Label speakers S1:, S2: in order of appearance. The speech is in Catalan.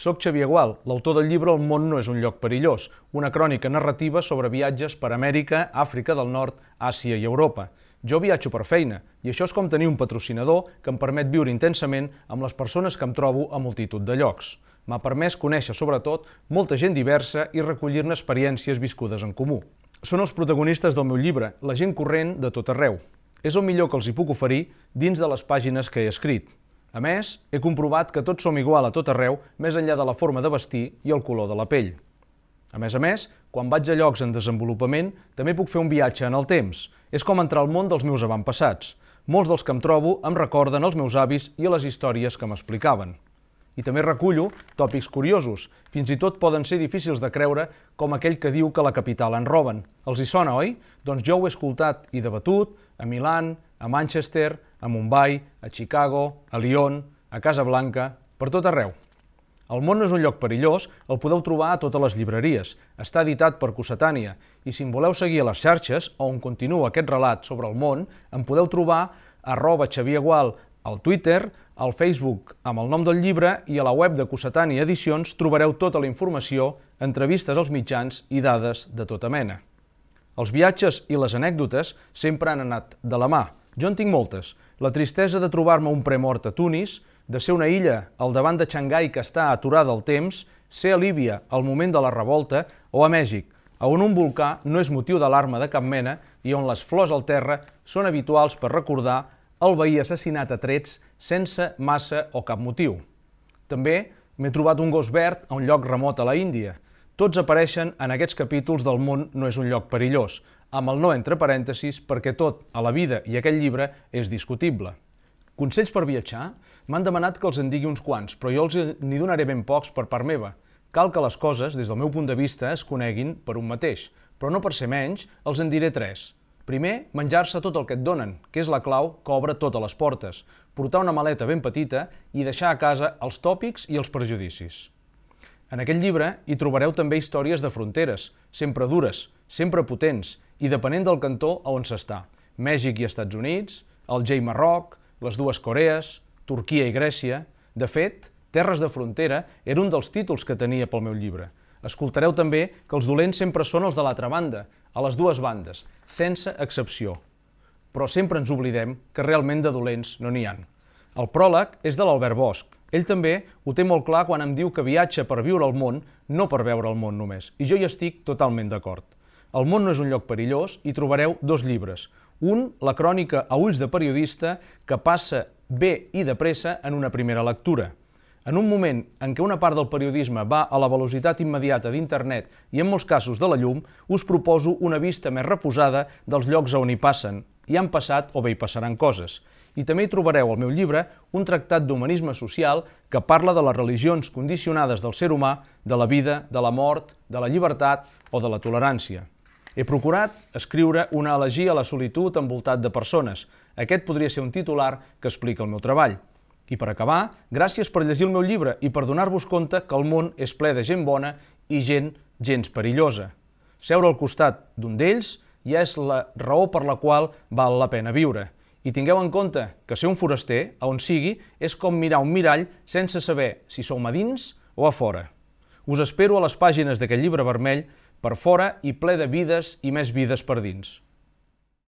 S1: Soc Xavier Gual, l'autor del llibre El món no és un lloc perillós, una crònica narrativa sobre viatges per Amèrica, Àfrica del Nord, Àsia i Europa. Jo viatjo per feina, i això és com tenir un patrocinador que em permet viure intensament amb les persones que em trobo a multitud de llocs. M'ha permès conèixer, sobretot, molta gent diversa i recollir-ne experiències viscudes en comú. Són els protagonistes del meu llibre, la gent corrent de tot arreu. És el millor que els hi puc oferir dins de les pàgines que he escrit. A més, he comprovat que tots som igual a tot arreu, més enllà de la forma de vestir i el color de la pell. A més, quan vaig a llocs en desenvolupament, també puc fer un viatge en el temps. És com entrar al món dels meus avantpassats. Molts dels que em trobo em recorden els meus avis i les històries que m'explicaven. I també recullo tòpics curiosos. Fins i tot poden ser difícils de creure, com aquell que diu que la capital en roben. Els hi sona, oi? Doncs jo ho he escoltat i debatut a Milà, a Manchester, a Mumbai, a Chicago, a Lyon, a Casablanca, per tot arreu. El món no és un lloc perillós, el podeu trobar a totes les llibreries. Està editat per Cossetània, i si em voleu seguir a les xarxes, on continua aquest relat sobre el món, em podeu trobar a @XavierGual al Twitter, al Facebook amb el nom del llibre i a la web de Cossetània Edicions trobareu tota la informació, entrevistes als mitjans i dades de tota mena. Els viatges i les anècdotes sempre han anat de la mà. Jo en tinc moltes. La tristesa de trobar-me un premort a Tunis, de ser una illa al davant de Xangai que està aturada al temps, ser a Líbia al moment de la revolta o a Mèxic, on un volcà no és motiu d'alarma de cap mena i on les flors al terra són habituals per recordar el veí assassinat a trets sense massa o cap motiu. També m'he trobat un gos verd a un lloc remot a la Índia. Tots apareixen en aquests capítols del món no és un lloc perillós, amb el no entre parèntesis perquè tot a la vida i aquest llibre és discutible. Consells per viatjar? M'han demanat que els en digui uns quants, però jo els n'hi donaré ben pocs per part meva. Cal que les coses, des del meu punt de vista, es coneguin per un mateix, però no per ser menys, els en diré 3. Primer, menjar-se tot el que et donen, que és la clau que obre totes les portes, portar una maleta ben petita i deixar a casa els tòpics i els prejudicis. En aquest llibre hi trobareu també històries de fronteres, sempre dures, sempre potents i depenent del cantó a on s'està. Mèxic i Estats Units, Alger i Marroc, les dues Corees, Turquia i Grècia. De fet, Terres de frontera era un dels títols que tenia pel meu llibre. Escoltareu també que els dolents sempre són els de l'altra banda, a les dues bandes, sense excepció. Però sempre ens oblidem que realment de dolents no n'hi ha. El pròleg és de l'Albert Bosch. Ell també ho té molt clar quan em diu que viatja per viure el món, no per veure el món només. I jo hi estic totalment d'acord. El món no és un lloc perillós i trobareu 2 llibres. Un, la crònica a ulls de periodista, que passa bé i de pressa en una primera lectura. En un moment en què una part del periodisme va a la velocitat immediata d'internet i en molts casos de la llum, us proposo una vista més reposada dels llocs on hi passen, hi han passat o bé hi passaran coses. I també hi trobareu al meu llibre un tractat d'humanisme social que parla de les religions condicionades del ser humà, de la vida, de la mort, de la llibertat o de la tolerància. He procurat escriure una elegia a la solitud envoltat de persones. Aquest podria ser un titular que explica el meu treball. I per acabar, gràcies per llegir el meu llibre i per donar-vos compte que el món és ple de gent bona i gent gens perillosa. Seure al costat d'un d'ells ja és la raó per la qual val la pena viure. I tingueu en compte que ser un foraster, a on sigui, és com mirar un mirall sense saber si som a dins o a fora. Us espero a les pàgines d'aquest llibre vermell, per fora i ple de vides i més vides per dins.